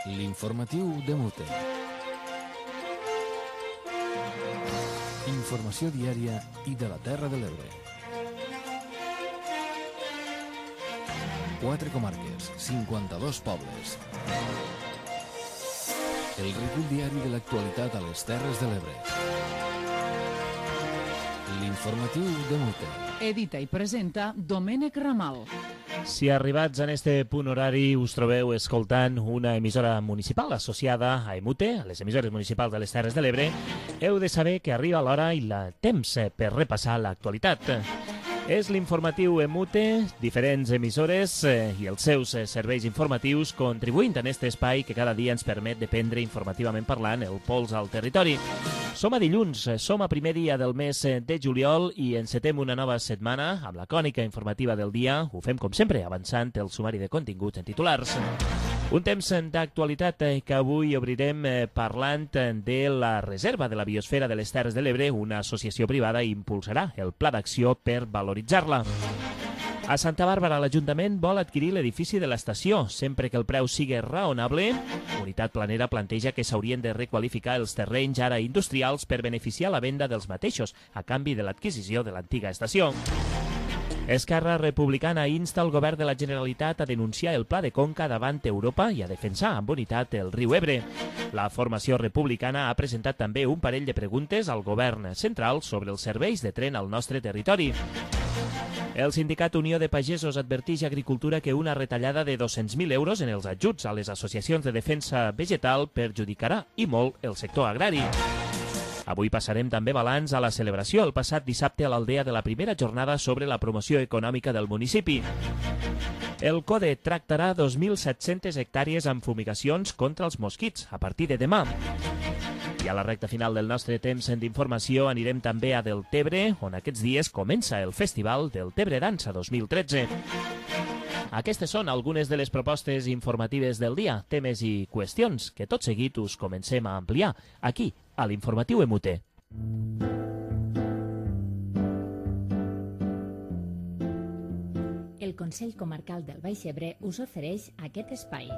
L'informatiu de Mute. Informació diària i de la Terra de l'Ebre. 4 comarques, 52 pobles. El recull diari de l'actualitat a les Terres de l'Ebre. L'informatiu de Mute. Edita i presenta Domènec Ramal. Si arribats en este punt horari us trobeu escoltant una emissora municipal associada a EMUTE, a les emissores municipals de les Terres de l'Ebre, heu de saber que arriba l'hora i el temps per repassar l'actualitat. És l'informatiu EMUTE, diferents emissores i els seus serveis informatius contribuint en aquest espai que cada dia ens permet de prendre informativament parlant el pols al territori. Som a dilluns, som a primer dia del mes de juliol i encetem una nova setmana amb la crònica informativa del dia. Ho fem com sempre, avançant el sumari de continguts en titulars. Un temps d'actualitat que avui obrirem parlant de la Reserva de la Biosfera de les Terres de l'Ebre. Una associació privada impulsarà el pla d'acció per valoritzar-la. A Santa Bàrbara, l'Ajuntament vol adquirir l'edifici de l'estació, sempre que el preu sigui raonable. Unitat Planera planteja que s'haurien de requalificar els terrenys ara industrials per beneficiar la venda dels mateixos, a canvi de l'adquisició de l'antiga estació. Esquerra Republicana insta el govern de la Generalitat a denunciar el Pla de Conca davant Europa i a defensar amb unitat el riu Ebre. La formació republicana ha presentat també un parell de preguntes al govern central sobre els serveis de tren al nostre territori. El sindicat Unió de Pagesos adverteix a Agricultura que una retallada de 200.000 euros en els ajuts a les associacions de defensa vegetal perjudicarà i molt el sector agrari. Avui passarem també balanç a la celebració el passat dissabte a l'Aldea de la primera jornada sobre la promoció econòmica del municipi. El CODE tractarà 2.700 hectàrees amb fumigacions contra els mosquits a partir de demà. I a la recta final del nostre temps d'informació anirem també a Deltebre, on aquests dies comença el Festival Deltebre Dansa 2013. Aquestes són algunes de les propostes informatives del dia, temes i qüestions que tot seguit us comencem a ampliar aquí, a l'informatiu EMUTE. El Consell Comarcal del Baix Ebre us ofereix aquest espai.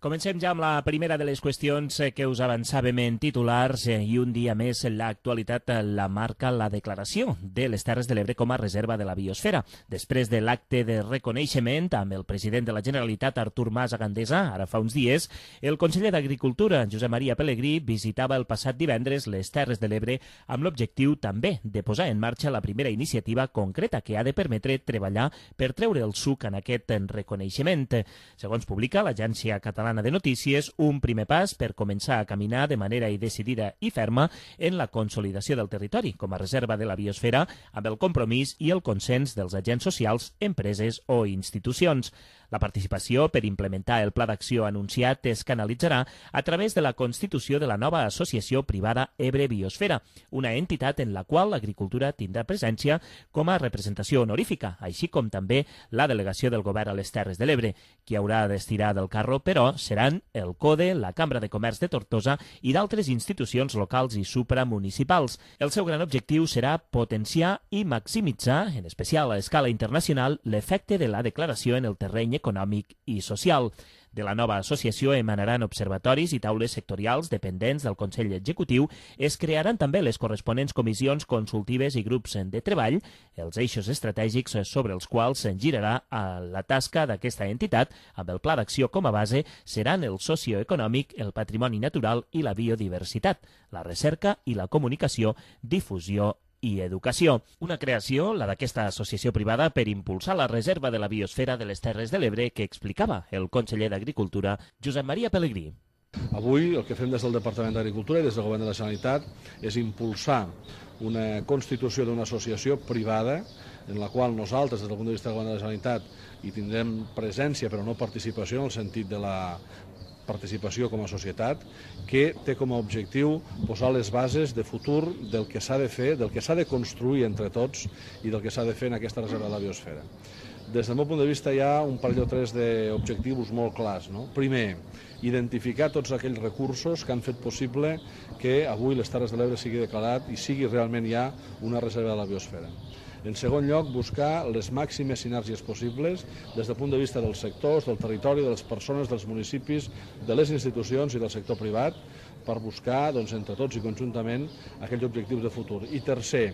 Comencem ja amb la primera de les qüestions que us avançàvem en titulars i un dia més l'actualitat la marca la declaració de les Terres de l'Ebre com a reserva de la biosfera. Després de l'acte de reconeixement amb el president de la Generalitat, Artur Mas a Gandesa, ara fa uns dies, el conseller d'Agricultura, Josep Maria Pelegrí, visitava el passat divendres les Terres de l'Ebre amb l'objectiu també de posar en marxa la primera iniciativa concreta que ha de permetre treballar per treure el suc en aquest reconeixement. Segons publica l'Agència Catalana de Notícies, un primer pas per començar a caminar de manera decidida i ferma en la consolidació del territori com a reserva de la biosfera amb el compromís i el consens dels agents socials, empreses o institucions. La participació per implementar el pla d'acció anunciat es canalitzarà a través de la constitució de la nova associació privada Ebre Biosfera, una entitat en la qual l'agricultura tindrà presència com a representació honorífica, així com també la delegació del govern a les Terres de l'Ebre. Qui haurà d'estirar del carro, però, seran el CODE, la Cambra de Comerç de Tortosa i d'altres institucions locals i supramunicipals. El seu gran objectiu serà potenciar i maximitzar, en especial a escala internacional, l'efecte de la declaració en el terreny econòmic i social. De la nova associació emanaran observatoris i taules sectorials dependents del Consell Executiu. Es crearan també les corresponents comissions consultives i grups de treball, els eixos estratègics sobre els quals se'n girarà la tasca d'aquesta entitat. Amb el pla d'acció com a base seran el socioeconòmic, el patrimoni natural i la biodiversitat, la recerca i la comunicació, difusió i educació. Una creació, la d'aquesta associació privada, per impulsar la reserva de la biosfera de les Terres de l'Ebre que explicava el conseller d'Agricultura, Josep Maria Pelegrí. Avui el que fem des del Departament d'Agricultura i des del Govern de la Generalitat és impulsar una constitució d'una associació privada en la qual nosaltres, des del punt de vista del Govern de la Generalitat, hi tindrem presència però no participació en el sentit de la participació com a societat, que té com a objectiu posar les bases de futur del que s'ha de fer, del que s'ha de construir entre tots i del que s'ha de fer en aquesta reserva de la biosfera. Des del meu punt de vista hi ha un parell o tres d'objectius molt clars. Primer, identificar tots aquells recursos que han fet possible que avui les Terres de l'Ebre sigui declarat i sigui realment ja una reserva de la biosfera. En segon lloc, buscar les màximes sinergies possibles des del punt de vista dels sectors, del territori, de les persones, dels municipis, de les institucions i del sector privat per buscar, entre tots i conjuntament, aquells objectius de futur. I tercer,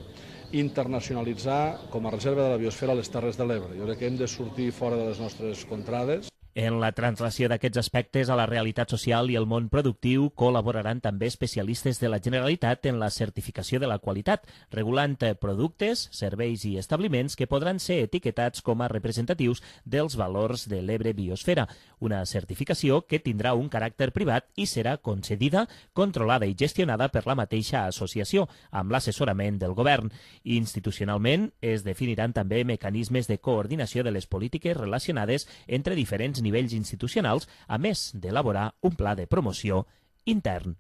internacionalitzar com a reserva de la biosfera les Terres de l'Ebre. Jo crec que hem de sortir fora de les nostres contrades. En la translació d'aquests aspectes a la realitat social i el món productiu col·laboraran també especialistes de la Generalitat en la certificació de la qualitat, regulant productes, serveis i establiments que podran ser etiquetats com a representatius dels valors de l'Ebre Biosfera, una certificació que tindrà un caràcter privat i serà concedida, controlada i gestionada per la mateixa associació, amb l'assessorament del govern. Institucionalment es definiran també mecanismes de coordinació de les polítiques relacionades entre diferents nivells institucionals, a més d'elaborar un pla de promoció intern.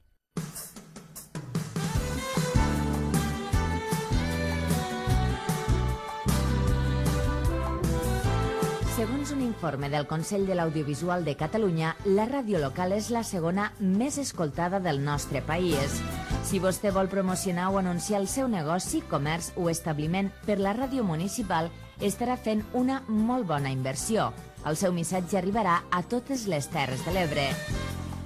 Segons un informe del Consell de l'Audiovisual de Catalunya, la ràdio local és la segona més escoltada del nostre país. Si vostè vol promocionar o anunciar el seu negoci, comerç o establiment per la ràdio municipal, estarà fent una molt bona inversió. El seu missatge arribarà a totes les Terres de l'Ebre.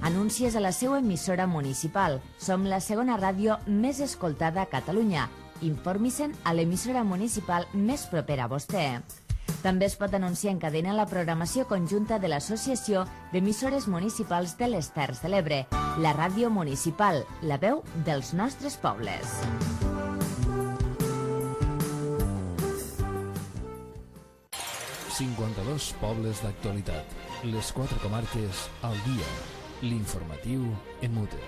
Anuncies a la seva emissora municipal. Som la segona ràdio més escoltada a Catalunya. Informi-se'n a l'emissora municipal més propera a vostè. També es pot anunciar en cadena la programació conjunta de l'Associació d'Emissores Municipals de les Terres de l'Ebre, la ràdio municipal, la veu dels nostres pobles. ...52 pobles d'actualitat. Les 4 comarques al dia. L'informatiu en Mute.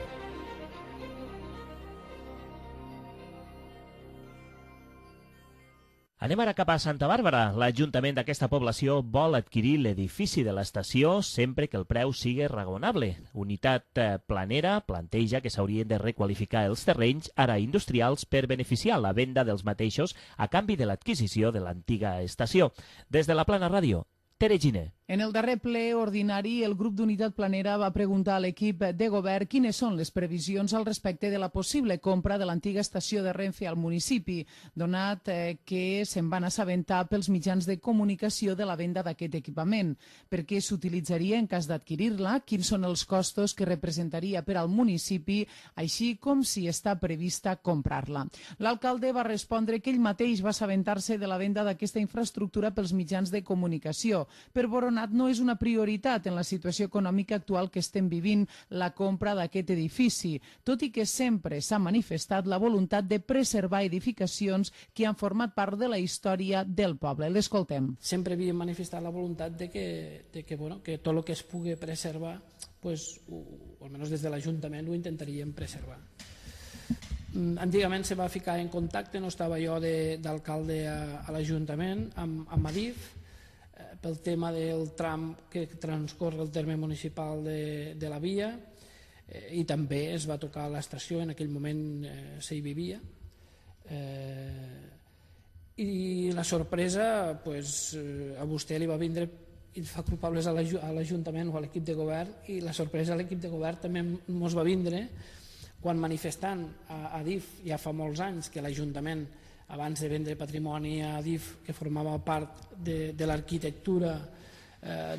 Anem ara cap a Santa Bàrbara. L'Ajuntament d'aquesta població vol adquirir l'edifici de l'estació sempre que el preu sigui raonable. Unitat Planera planteja que s'haurien de requalificar els terrenys ara industrials per beneficiar la venda dels mateixos a canvi de l'adquisició de l'antiga estació. Des de la Plana Ràdio, Tere Giner. En el darrer ple ordinari, el grup d'Unitat Planera va preguntar a l'equip de govern quines són les previsions al respecte de la possible compra de l'antiga estació de Renfe al municipi, donat que se'n van assabentar pels mitjans de comunicació de la venda d'aquest equipament. Per què s'utilitzaria en cas d'adquirir-la? Quins són els costos que representaria per al municipi, així com si està prevista comprar-la? L'alcalde va respondre que ell mateix va assabentar-se de la venda d'aquesta infraestructura pels mitjans de comunicació. Per Boronat no és una prioritat en la situació econòmica actual que estem vivint la compra d'aquest edifici, tot i que sempre s'ha manifestat la voluntat de preservar edificacions que han format part de la història del poble. L'escoltem. Sempre havíem manifestat la voluntat de que tot el que es pugui preservar, pues, o almenys des de l'Ajuntament ho intentaríem preservar. Antigament se va ficar en contacte, no estava jo d'alcalde a l'Ajuntament, amb Adif, pel tema del tram que transcorre el terme municipal de la via, i també es va tocar l'estació, en aquell moment s'hi vivia, i la sorpresa a vostè li va vindre i fa culpables a l'Ajuntament o a l'equip de govern, i la sorpresa a l'equip de govern també ens va vindre quan manifestant a DIF ja fa molts anys que l'Ajuntament, abans de vendre patrimoni a DIF, que formava part de l'arquitectura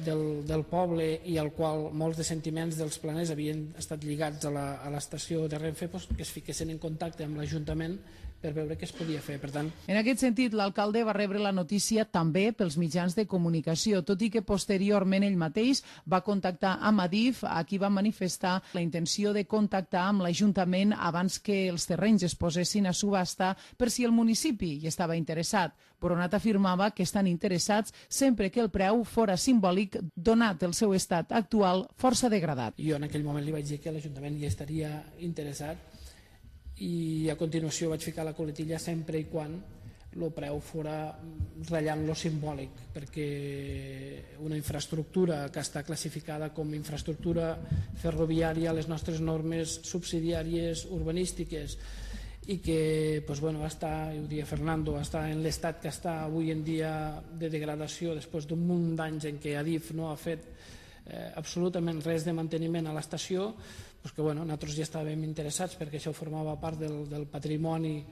del poble i al qual molts de sentiments dels planers havien estat lligats a l'estació de Renfe, que es fiquessin en contacte amb l'Ajuntament per veure què es podia fer. Per tant, en aquest sentit, l'alcalde va rebre la notícia també pels mitjans de comunicació, tot i que posteriorment ell mateix va contactar amb Adif, a qui va manifestar la intenció de contactar amb l'Ajuntament abans que els terrenys es posessin a subhasta per si el municipi hi estava interessat. Boronat afirmava que estan interessats sempre que el preu fora simbòlic, donat el seu estat actual força degradat. Jo en aquell moment li vaig dir que l'Ajuntament hi estaria interessat, i a continuació vaig ficar la coletilla sempre i quan el preu fora ratllant lo simbòlic, perquè una infraestructura que està classificada com infraestructura ferroviària a les nostres normes subsidiàries urbanístiques i que va estar, ho deia Fernando, va estar en l'estat que està avui en dia de degradació després d'un munt d'anys en què Adif no ha fet absolutament res de manteniment a l'estació, que nosaltres ja estàvem interessats perquè això formava part del patrimoni,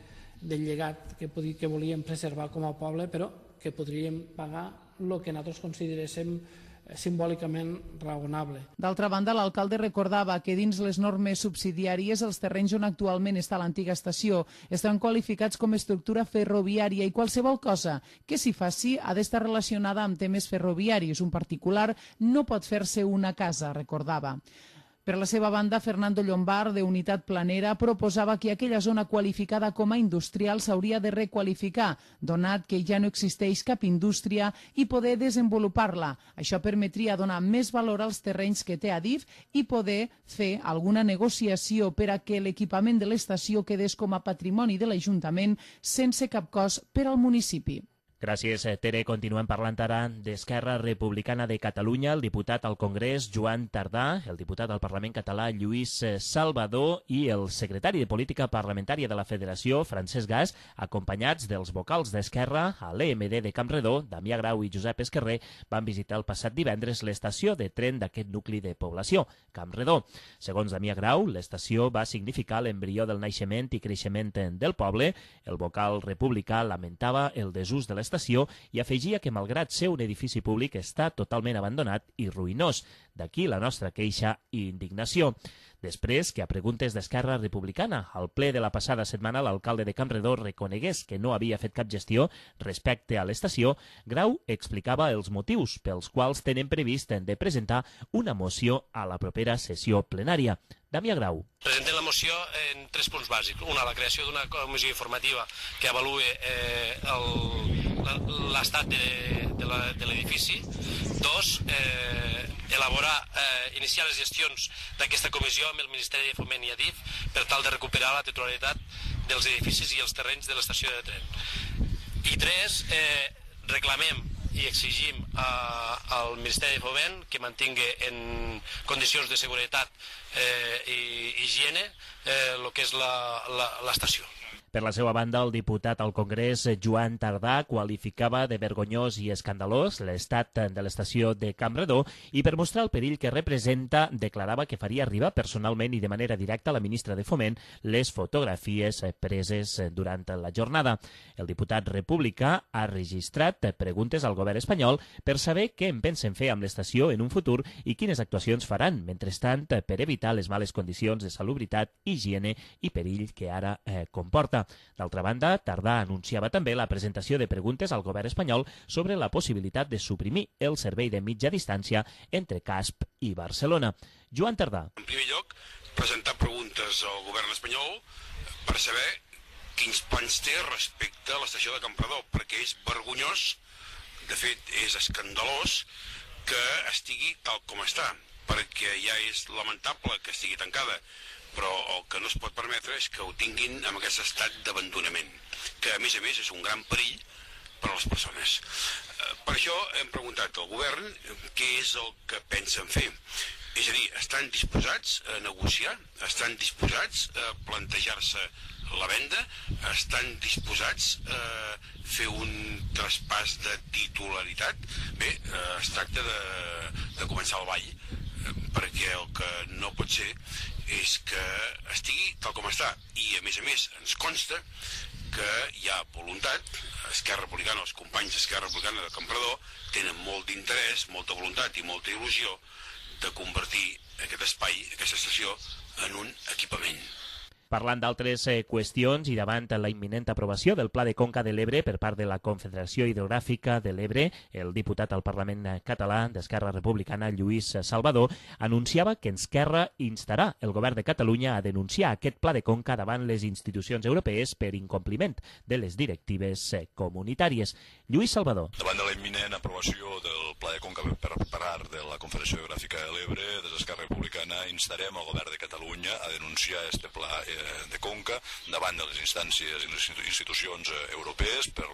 del llegat que volíem preservar com a poble, però que podríem pagar el que nosaltres consideréssim simbòlicament raonable. D'altra banda, l'alcalde recordava que dins les normes subsidiàries els terrenys on actualment està l'antiga estació estan qualificats com a estructura ferroviària i qualsevol cosa que s'hi faci ha d'estar relacionada amb temes ferroviaris. Un particular no pot fer-se una casa, recordava. Per la seva banda, Fernando Llombard, de Unitat Planera, proposava que aquella zona qualificada com a industrial s'hauria de requalificar, donat que ja no existeix cap indústria i poder desenvolupar-la. Això permetria donar més valor als terrenys que té Adif i poder fer alguna negociació per a que l'equipament de l'estació quedés com a patrimoni de l'Ajuntament sense cap cost per al municipi. Gràcies, Tere. Continuem parlant ara d'Esquerra Republicana de Catalunya. El diputat al Congrés, Joan Tardà, el diputat al Parlament català, Lluís Salvador, i el secretari de Política Parlamentària de la Federació, Francesc Gas, acompanyats dels vocals d'Esquerra a l'EMD de Campredó, Damià Grau i Josep Esquerrer, van visitar el passat divendres l'estació de tren d'aquest nucli de població, Campredó. Segons Damià Grau, l'estació va significar l'embrió del naixement i creixement del poble. El vocal republicà lamentava el desús de l'estació i afegia que, malgrat ser un edifici públic, està totalment abandonat i ruïnós. D'aquí la nostra queixa i indignació. Després que, a preguntes d'Esquerra Republicana, al ple de la passada setmana l'alcalde de Campredó reconegués que no havia fet cap gestió respecte a l'estació, Grau explicava els motius pels quals tenen previst de presentar una moció a la propera sessió plenària. Damià Grau. Presentem la moció en 3 punts bàsics. Una, la creació d'una comissió informativa que avaluï l'estat de l'edifici. 2, iniciar les gestions d'aquesta comissió amb el Ministeri de Foment i Adif per tal de recuperar la titularitat dels edificis i els terrenys de l'estació de tren. I 3, reclamem i exigim al Ministeri de Foment que mantingui en condicions de seguretat i higiene el que és l'estació. Per la seva banda, el diputat al Congrés, Joan Tardà, qualificava de vergonyós i escandalós l'estat de l'estació de Campredó i, per mostrar el perill que representa, declarava que faria arribar personalment i de manera directa a la ministra de Foment les fotografies preses durant la jornada. El diputat republicà ha registrat preguntes al govern espanyol per saber què en pensen fer amb l'estació en un futur i quines actuacions faran, mentrestant, per evitar les males condicions de salubritat, higiene i perill que ara comporta. D'altra banda, Tardà anunciava també la presentació de preguntes al govern espanyol sobre la possibilitat de suprimir el servei de mitja distància entre Casp i Barcelona. Joan Tardà. En primer lloc, presentar preguntes al govern espanyol per saber quins plans té respecte a l'estació de Campredó, perquè és vergonyós, de fet és escandalós, que estigui tal com està, perquè ja és lamentable que estigui tancada, però el que no es pot permetre és que ho tinguin en aquest estat d'abandonament, que a més és un gran perill per a les persones. Per això hem preguntat al govern què és el que pensen fer. És a dir, estan disposats a negociar, estan disposats a plantejar-se la venda, estan disposats a fer un traspàs de titularitat. Bé, es tracta de començar el ball, perquè el que no pot ser és que estigui tal com està. I, a més, ens consta que hi ha voluntat. Esquerra Republicana, els companys d'Esquerra Republicana de Campredó tenen molt d'interès, molta voluntat i molta il·lusió de convertir aquest espai, aquesta estació, en un equipament. Parlant d'altres qüestions i davant la imminent aprovació del Pla de Conca de l'Ebre per part de la Confederació Hidrogràfica de l'Ebre, el diputat al Parlament català d'Esquerra Republicana, Lluís Salvador, anunciava que Esquerra instarà el govern de Catalunya a denunciar aquest Pla de Conca davant les institucions europees per incompliment de les directives comunitàries. Lluís Salvador. Davant de la imminent aprovació del Pla de Conca per part de la Confederació Geogràfica de l'Ebre, des d'Esquerra Republicana instarem el govern de Catalunya a denunciar este Pla de Conca davant de les instàncies i les institucions europees per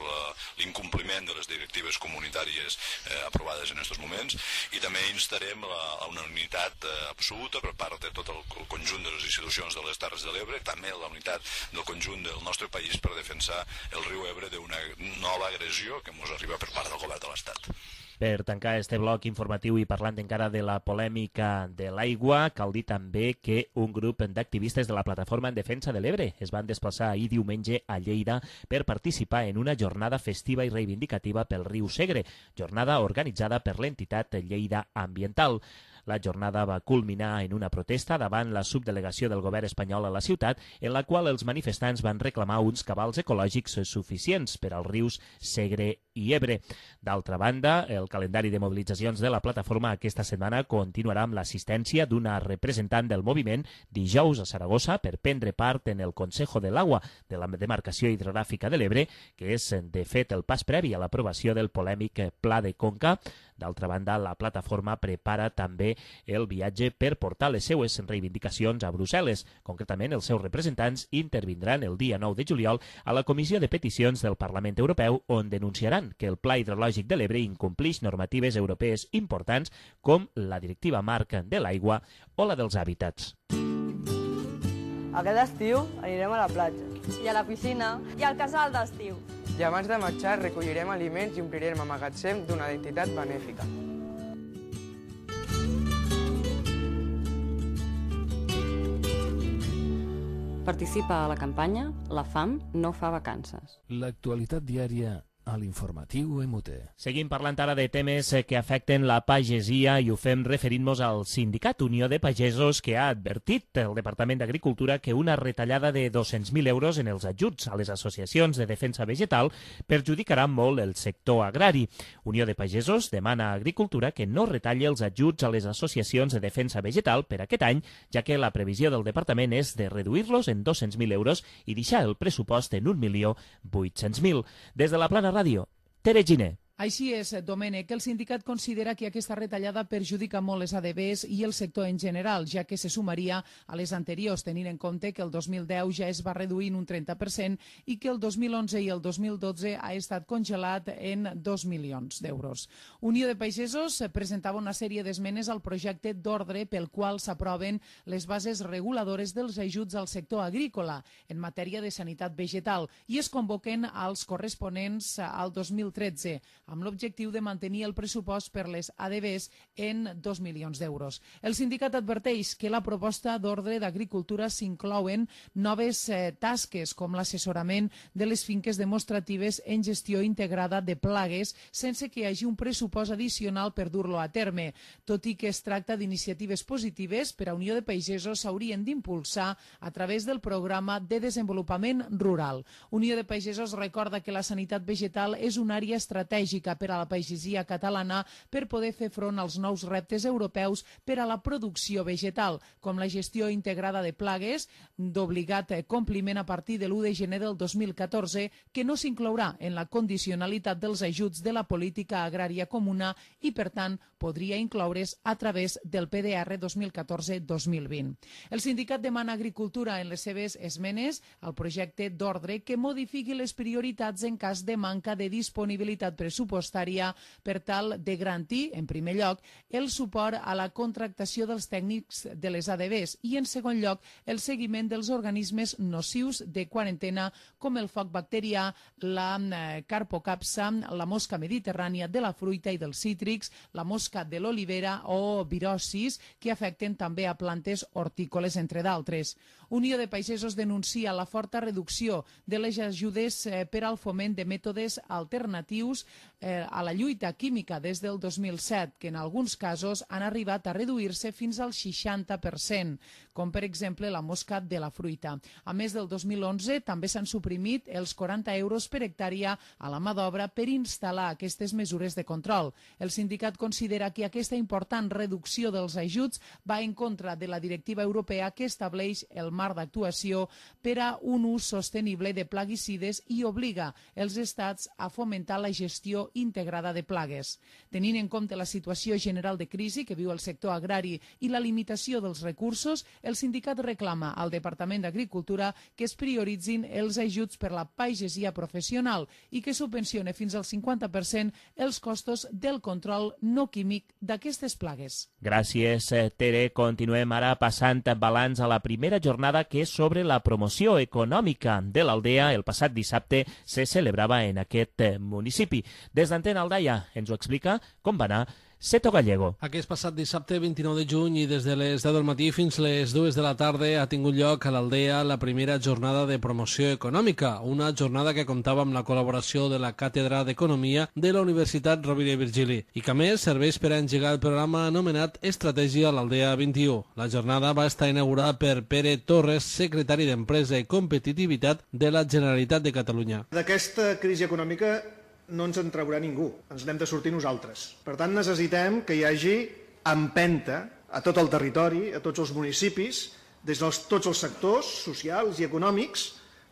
l'incompliment de les directives comunitàries aprovades en aquests moments, i també instarem a una unitat absoluta per part de tot el conjunt de les institucions de les Terres de l'Ebre, també la unitat del conjunt del nostre país per defensar el riu Ebre d'una nova agressió que ens arriba per part del govern de l'Estat. Per tancar este bloc informatiu i parlant encara de la polèmica de l'aigua, cal dir també que un grup d'activistes de la Plataforma en Defensa de l'Ebre es van desplaçar ahir diumenge a Lleida per participar en una jornada festiva i reivindicativa pel riu Segre, jornada organitzada per l'entitat Lleida Ambiental. La jornada va culminar en una protesta davant la subdelegació del govern espanyol a la ciutat, en la qual els manifestants van reclamar uns cabals ecològics suficients per als rius Segre i Ebre. D'altra banda, el calendari de mobilitzacions de la plataforma aquesta setmana continuarà amb l'assistència d'una representant del moviment dijous a Saragossa per prendre part en el Consejo de l'Agua de la demarcació hidrogràfica de l'Ebre, que és, de fet, el pas previ a l'aprovació del polèmic Pla de Conca. D'altra banda, la plataforma prepara també el viatge per portar les seues reivindicacions a Brussel·les. Concretament, els seus representants intervindran el dia 9 de juliol a la Comissió de Peticions del Parlament Europeu, on denunciaran que el Pla Hidrològic de l'Ebre incomplix normatives europees importants com la Directiva Marc de l'Aigua o la dels Hàbitats. Aquest estiu anirem a la platja. I a la piscina. I al casal d'estiu. I abans de marxar recollirem aliments i omplirem el magatzem d'una entitat benèfica. Participa a la campanya La fam no fa vacances. L'actualitat diària a l'informatiu EMUTE. Seguim parlant ara de temes que afecten la pagesia i ho fem referint-nos al Sindicat Unió de Pagesos, que ha advertit el Departament d'Agricultura que una retallada de 200.000 euros en els ajuts a les associacions de defensa vegetal perjudicarà molt el sector agrari. Unió de Pagesos demana a Agricultura que no retalli els ajuts a les associacions de defensa vegetal per aquest any, ja que la previsió del departament és de reduir-los en 200.000 euros i deixar el pressupost en 1.800.000. Des de la Plana Ràdio, Tere Giner. Així és, Domènec, el sindicat considera que aquesta retallada perjudica molt les ADBs i el sector en general, ja que se sumaria a les anteriors, tenint en compte que el 2010 ja es va reduir en un 30% i que el 2011 i el 2012 ha estat congelat en 2 milions d'euros. Unió de Pagesos presentava una sèrie d'esmenes al projecte d'ordre pel qual s'aproven les bases reguladores dels ajuts al sector agrícola en matèria de sanitat vegetal i es convoquen als corresponents al 2013, amb l'objectiu de mantenir el pressupost per les ADBs en 2 milions d'euros. El sindicat adverteix que la proposta d'ordre d'agricultura s'inclouen noves tasques com l'assessorament de les finques demostratives en gestió integrada de plagues sense que hi hagi un pressupost addicional per dur-lo a terme. Tot i que es tracta d'iniciatives positives, per a Unió de Pagesos s'haurien d'impulsar a través del programa de desenvolupament rural. Unió de Pagesos recorda que la sanitat vegetal és una àrea estratègica per a la pagesia catalana per poder fer front als nous reptes europeus per a la producció vegetal, com la gestió integrada de plagues, d'obligat compliment a partir de l'1 de gener del 2014, que no s'inclourà en la condicionalitat dels ajuts de la política agrària comuna i, per tant, podria incloure's a través del PDR 2014-2020. El sindicat demana a Agricultura en les seves esmenes al projecte d'ordre que modifiqui les prioritats en cas de manca de disponibilitat pressupostària per tal de garantir, en primer lloc, el suport a la contractació dels tècnics de les ADBs i, en segon lloc, el seguiment dels organismes nocius de quarantena com el foc bacterià, la carpocapsa, la mosca mediterrània de la fruita i dels cítrics, la mosca de l'olivera o virosis, que afecten també a plantes hortícoles, entre d'altres. Unió de Pagesos denuncia la forta reducció de les ajudes per al foment de mètodes alternatius a la lluita química des del 2007, que en alguns casos han arribat a reduir-se fins al 60%, com per exemple la mosca de la fruita. A més del 2011 també s'han suprimit els 40 euros per hectàrea a la mà d'obra per instal·lar aquestes mesures de control. El sindicat considera que aquesta important reducció dels ajuts va en contra de la directiva europea que estableix el marc marc d'actuació per a un ús sostenible de plaguicides i obliga els estats a fomentar la gestió integrada de plagues. Tenint en compte la situació general de crisi que viu el sector agrari i la limitació dels recursos, el sindicat reclama al Departament d'Agricultura que es prioritzin els ajuts per la pagesia professional i que subvencione fins al 50% els costos del control no químic d'aquestes plagues. Gràcies, Tere. Continuem ara passant balanç a la primera jornada que és sobre la promoció econòmica de l'Aldea. El passat dissabte se celebrava en aquest municipi. Des d'Antena Aldaia ens ho explica com va anar Seto Gallego. Aquest passat dissabte 29 de juny i des de les 10 del matí fins les 2 de la tarda ha tingut lloc a l'Aldea la primera jornada de promoció econòmica, una jornada que comptava amb la col·laboració de la Càtedra d'Economia de la Universitat Rovira i Virgili i que a més serveix per a engegar el programa anomenat Estratègia a l'Aldea 21. La jornada va estar inaugurada per Pere Torres, secretari d'Empresa i Competitivitat de la Generalitat de Catalunya. D'aquesta crisi econòmica no ens en traurà ningú, ens n'hem de sortir nosaltres. Per tant, necessitem que hi hagi empenta a tot el territori, a tots els municipis, des de tots els sectors socials i econòmics,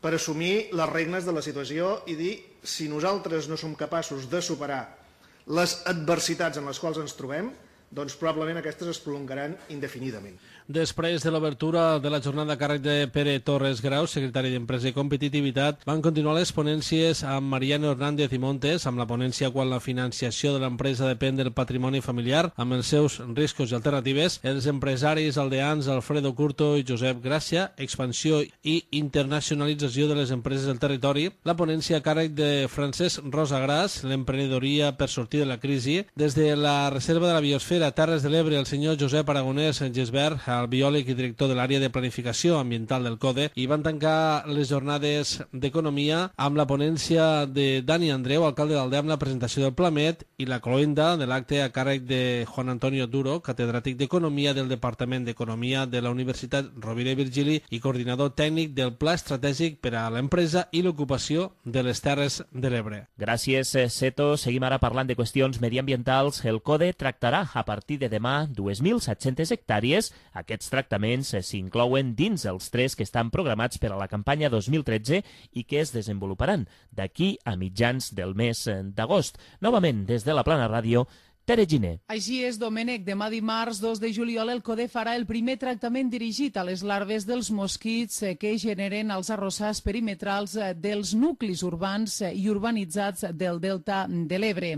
per assumir les regnes de la situació i dir si nosaltres no som capaços de superar les adversitats en les quals ens trobem, doncs probablement aquestes es prolongaran indefinidament. Després de l'obertura de la jornada a càrrec de Pere Torres Grau, secretari d'Empresa i Competitivitat, van continuar les ponències amb Mariano Hernández i Montes, amb la ponència quan la financiació de l'empresa depèn del patrimoni familiar, amb els seus riscos i alternatives, els empresaris aldeans Alfredo Curto i Josep Gràcia, expansió i internacionalització de les empreses del territori, la ponència a càrrec de Francesc Rosagras, l'emprenedoria per sortir de la crisi, des de la Reserva de la Biosfera Terres de l'Ebre, el senyor Josep Aragonès Gisbert, el biòleg i director de l'àrea de planificació ambiental del CODE, i van tancar les jornades d'economia amb la ponència de Dani Andreu, alcalde d'Aldea, amb la presentació del Plamet i la cloenda de l'acte a càrrec de Juan Antonio Duro, catedràtic d'Economia del Departament d'Economia de la Universitat Rovira i Virgili i coordinador tècnic del Pla Estratègic per a l'Empresa i l'Ocupació de les Terres de l'Ebre. Gràcies, Seto. Seguim ara parlant de qüestions mediambientals. El CODE tractarà a partir de demà 2.700 hectàrees. Aquests tractaments s'inclouen dins els 3 que estan programats per a la campanya 2013 i que es desenvoluparan d'aquí a mitjans del mes d'agost. Novament, des de la Plana Ràdio, Tere Giner. Així és, Domènec. Demà dimarts 2 de juliol el CODE farà el primer tractament dirigit a les larves dels mosquits que generen els arrossars perimetrals dels nuclis urbans i urbanitzats del Delta de l'Ebre.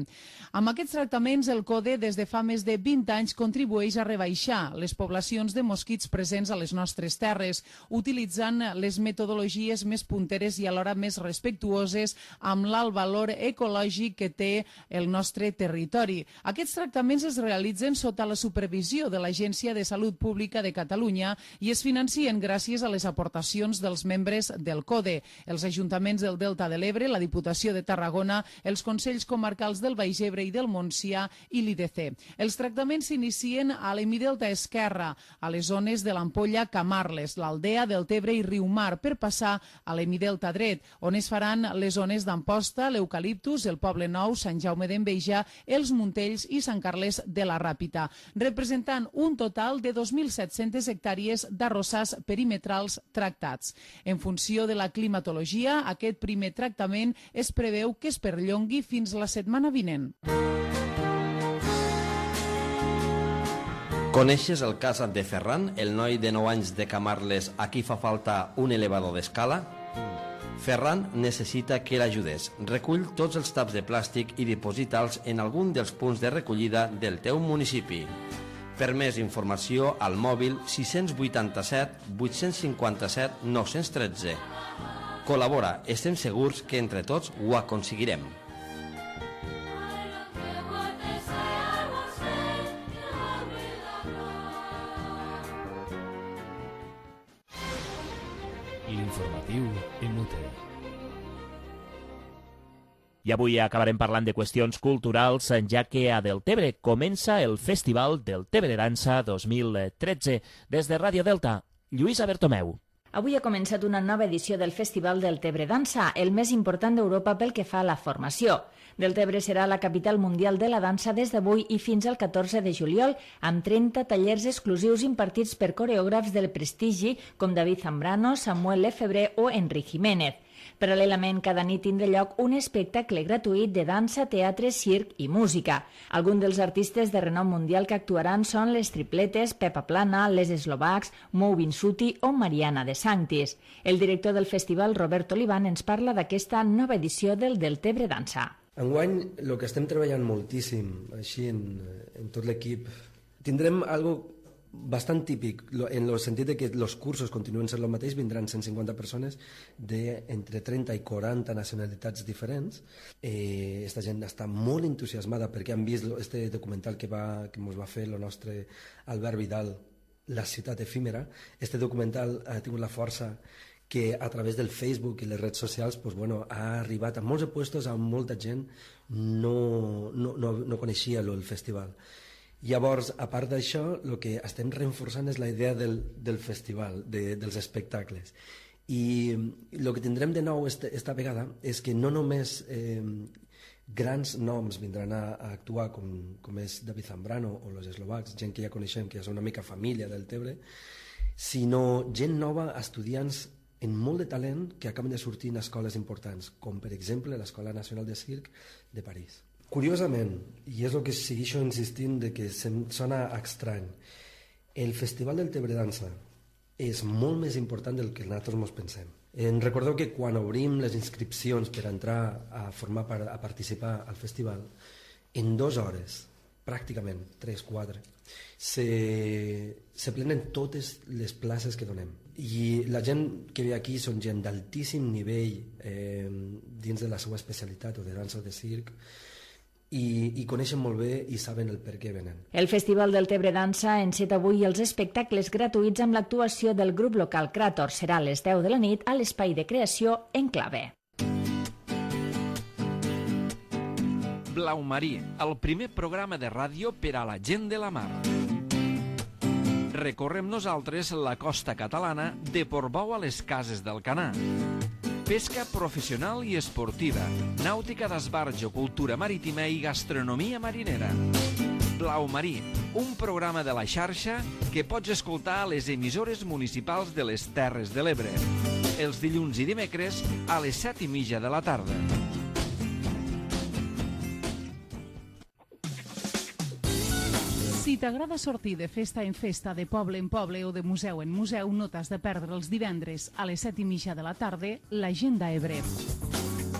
Amb aquests tractaments, el CODE des de fa més de 20 anys contribueix a rebaixar les poblacions de mosquits presents a les nostres terres, utilitzant les metodologies més punteres i alhora més respectuoses amb l'alt valor ecològic que té el nostre territori. Aquests tractaments es realitzen sota la supervisió de l'Agència de Salut Pública de Catalunya i es financien gràcies a les aportacions dels membres del CODE, els ajuntaments del Delta de l'Ebre, la Diputació de Tarragona, els Consells Comarcals del Baix Ebre i del Montsià i l'IDC. Els tractaments s'inicien a l'hemidelta esquerra, a les zones de l'Ampolla, Camarles, l'Aldea, Deltebre i Riumar, per passar a l'hemidelta dret, on es faran les zones d'Amposta, l'Eucaliptus, el Poble Nou, Sant Jaume d'Enveja, els Muntells i Sant Carles de la Ràpita, representant un total de 2.700 hectàrees d'arrossars perimetrals tractats. En funció de la climatologia, aquest primer tractament es preveu que es perllongui fins la setmana vinent. Coneixes el cas de Ferran, el noi de 9 anys de Camarles a qui fa falta un elevador d'escala? Ferran necessita que l'ajudes. Recull tots els taps de plàstic i diposita'ls en algun dels punts de recollida del teu municipi. Per més informació, al mòbil 687 857 913. Col·labora, estem segurs que entre tots ho aconseguirem. L'informatiu Emute. I avui acabarem parlant de qüestions culturals, ja que a Deltebre comença el Festival Deltebre Dansa 2013. Des de Ràdio Delta, Lluïsa Bertomeu. Avui ha començat una nova edició del Festival del Tebre Dansa, el més important d'Europa pel que fa a la formació. Deltebre serà la capital mundial de la dansa des d'avui i fins al 14 de juliol, amb 30 tallers exclusius impartits per coreògrafs del prestigi com David Zambrano, Samuel Lefebvre o Enric Jiménez. Paral·lelament, cada nit tindrà lloc un espectacle gratuït de dansa, teatre, circ i música. Alguns dels artistes de renom mundial que actuaran són les Tripletes, Pepa Plana, les Eslovacs, Mou Vinsuti o Mariana de Sanctis. El director del festival, Robert Olivan, ens parla d'aquesta nova edició del Deltebre Dansa. Enguany, el que estem treballant moltíssim, així en tot l'equip, tindrem algo bastant típic, en el sentit de que els cursos continuen sent el mateix, vindran 150 persones d'entre 30 i 40 nacionalitats diferents. Esta gent està molt entusiasmada perquè han vist este documental que ens va fer el nostre Albert Vidal, La ciutat efímera. Este documental ha tingut la força que a través del Facebook i les redes socials ha arribat a molts puestos on molta gent no coneixia el festival. Llavors, a part d'això, el que estem reforçant és la idea del festival, dels espectacles. I el que tindrem de nou esta vegada és que no només grans noms vindran a actuar, com és David Zambrano o los Eslovacs, gent que ja coneixem, que ja és una mica família del Tebre, sinó gent nova, estudiants amb molt de talent que acaben de sortir en escoles importants, com per exemple l'Escola Nacional de Circ de París. Curiosament, i és el que segueixo insistint de que se'm sona estrany, el Festival del Tebre Dansa és molt més important del que nosaltres ens pensem. Recordeu que quan obrim les inscripcions per entrar a participar al festival, en 2 hores, pràcticament 3-4, se plenen totes les places que donem. I la gent que ve aquí són gent d'altíssim nivell dins de la seva especialitat o de dansa o de circ, i coneixen molt bé i saben el per què venen. El Festival del Tebre Dansa enceta avui els espectacles gratuïts amb l'actuació del grup local Krator. Serà a les 10 de la nit a l'Espai de Creació Enclave. Blau Marí, el primer programa de ràdio per a la gent de la mar. Recorrem nosaltres la costa catalana de Portbou a les Cases del Canà. Pesca professional i esportiva, nàutica d'esbarjo, cultura marítima i gastronomia marinera. Blau Marí, un programa de la xarxa que pots escoltar a les emissores municipals de les Terres de l'Ebre. Els dilluns i dimecres a les 7:30 de la tarda. Si t'agrada sortir de festa en festa, de poble en poble o de museu en museu, no t'has de perdre els divendres a les 7:30 de la tarda l'Agenda Ebre.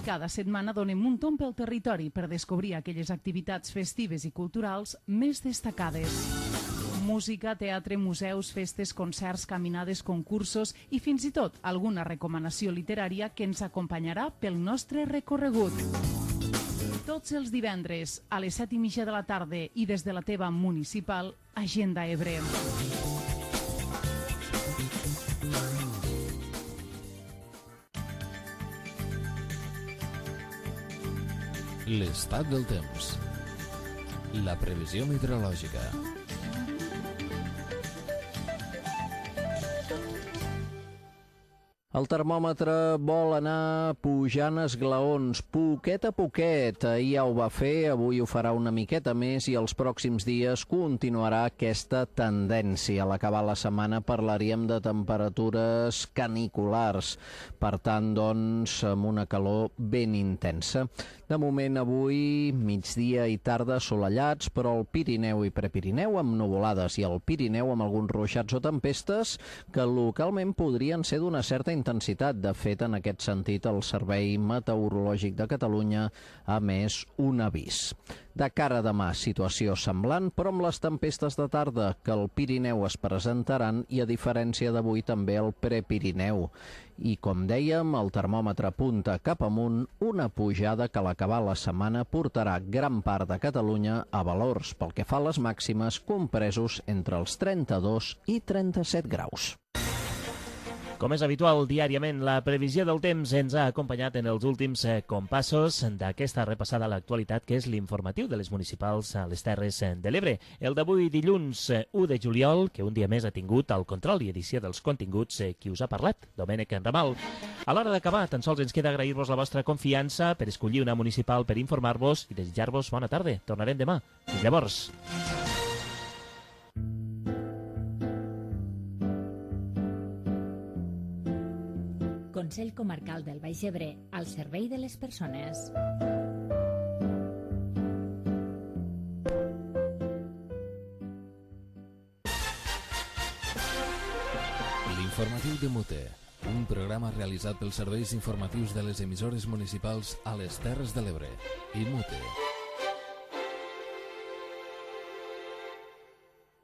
Cada setmana donem un tomb pel territori per descobrir aquelles activitats festives i culturals més destacades. Música, teatre, museus, festes, concerts, caminades, concursos i fins i tot alguna recomanació literària que ens acompanyarà pel nostre recorregut. Tots els divendres a les 7:30 de la tarda i des de la teva municipal Agenda Ebre. L'estat del temps. La previsió meteorològica. El termòmetre vol anar pujant esglaons, poquet a poquet. Ahir ja ho va fer, avui ho farà una miqueta més i els pròxims dies continuarà aquesta tendència. A l'acabar la setmana parlaríem de temperatures caniculars, per tant, doncs, amb una calor ben intensa. De moment, avui, migdia i tarda assolellats, però el Pirineu i Prepirineu amb nuvolades i el Pirineu amb alguns ruixats o tempestes que localment podrien ser d'una certa intensitat. De fet, en aquest sentit, el Servei Meteorològic de Catalunya ha emès un avís. De cara a demà, situació semblant, però amb les tempestes de tarda que al Pirineu es presentaran i, a diferència d'avui, també al Prepirineu. I, com dèiem, el termòmetre apunta cap amunt, una pujada que a l'acabar la setmana portarà gran part de Catalunya a valors, pel que fa a les màximes, compresos entre els 32 i 37 graus. Com és habitual, diàriament la previsió del temps ens ha acompanyat en els últims compassos d'aquesta repassada a l'actualitat, que és l'informatiu de les municipals a les Terres de l'Ebre. El d'avui, dilluns 1 de juliol, que un dia més ha tingut el control i edició dels continguts qui us ha parlat, Domènec Ramal. A l'hora d'acabar, tan sols ens queda agrair-vos la vostra confiança per escollir una municipal per informar-vos i desitjar-vos bona tarda. Tornarem demà. Fins llavors. Consell Comarcal del Baix Ebre, al servei de les persones. L'informatiu de Mute, un programa realitzat pels serveis informatius de les emissores municipals a les Terres de l'Ebre. I Mute.